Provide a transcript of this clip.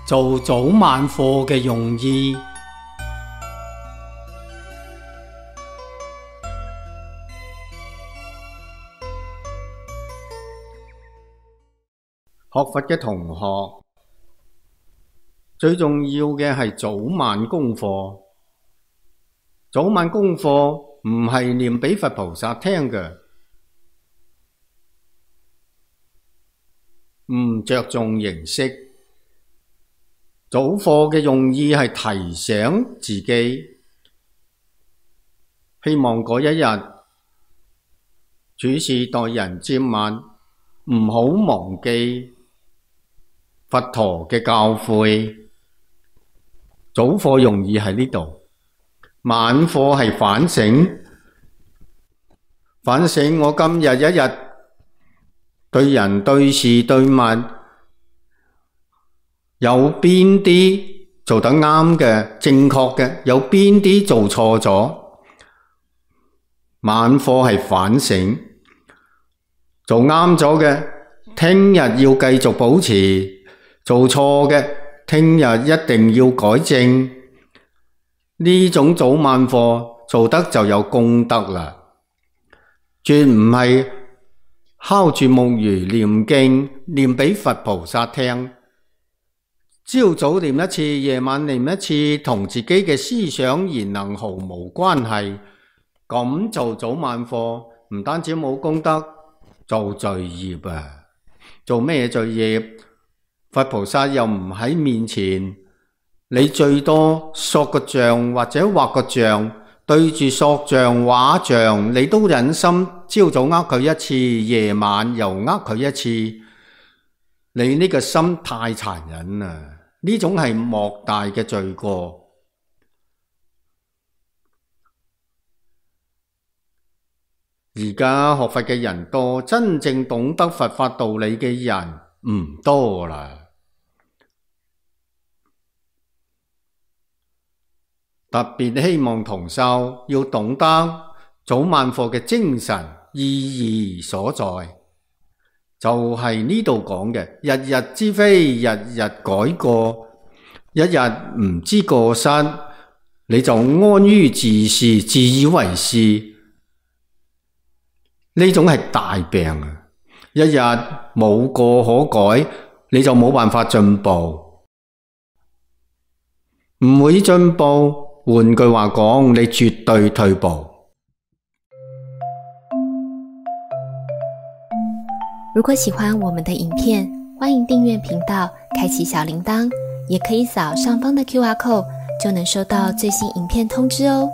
做早晚課嘅用意。學佛嘅同學，最重要嘅係早晚功課。早晚功課唔係念俾佛菩薩聽嘅，唔着重形式。早課嘅用意係提醒自己，希望嗰一日處事待人接物唔好忘記佛陀嘅教誨。早課用意喺呢度，晚課係反省。反省我今日一日對人對事對物有邊啲做得啱嘅正確嘅，有邊啲做錯咗。晚課係反省，做啱咗嘅聽日要繼續保持，做錯嘅聽日一定要改正。呢種早晚課做得就有功德啦，絕唔係敲住木魚念經念俾佛菩薩聽，朝早念一次，夜晚念一次，同自己嘅思想言能毫無關係。咁做早晚課唔單止冇功德，做罪業啊！做咩罪業？佛菩薩又唔喺面前，你最多塑個像或者畫個像，對住塑像畫像，你都忍心朝早呃佢一次，夜晚又呃佢一次，你呢個心太殘忍啦！呢種係莫大嘅罪過。而家學佛嘅人多，真正懂得佛法道理嘅人唔多啦。特別希望同修要懂得早晚課嘅精神意義所在，就係呢度講嘅，日日之非，日日改過，一日唔知過失，你就安於自是，自以為是。呢種係大病啊！一日冇過可改，你就冇辦法進步，唔會進步。換句話講，你絕對退步。如果喜歡我們的影片，歡迎訂閱頻道，開啟小鈴鐺，也可以掃上方的QR code，就能收到最新影片通知哦。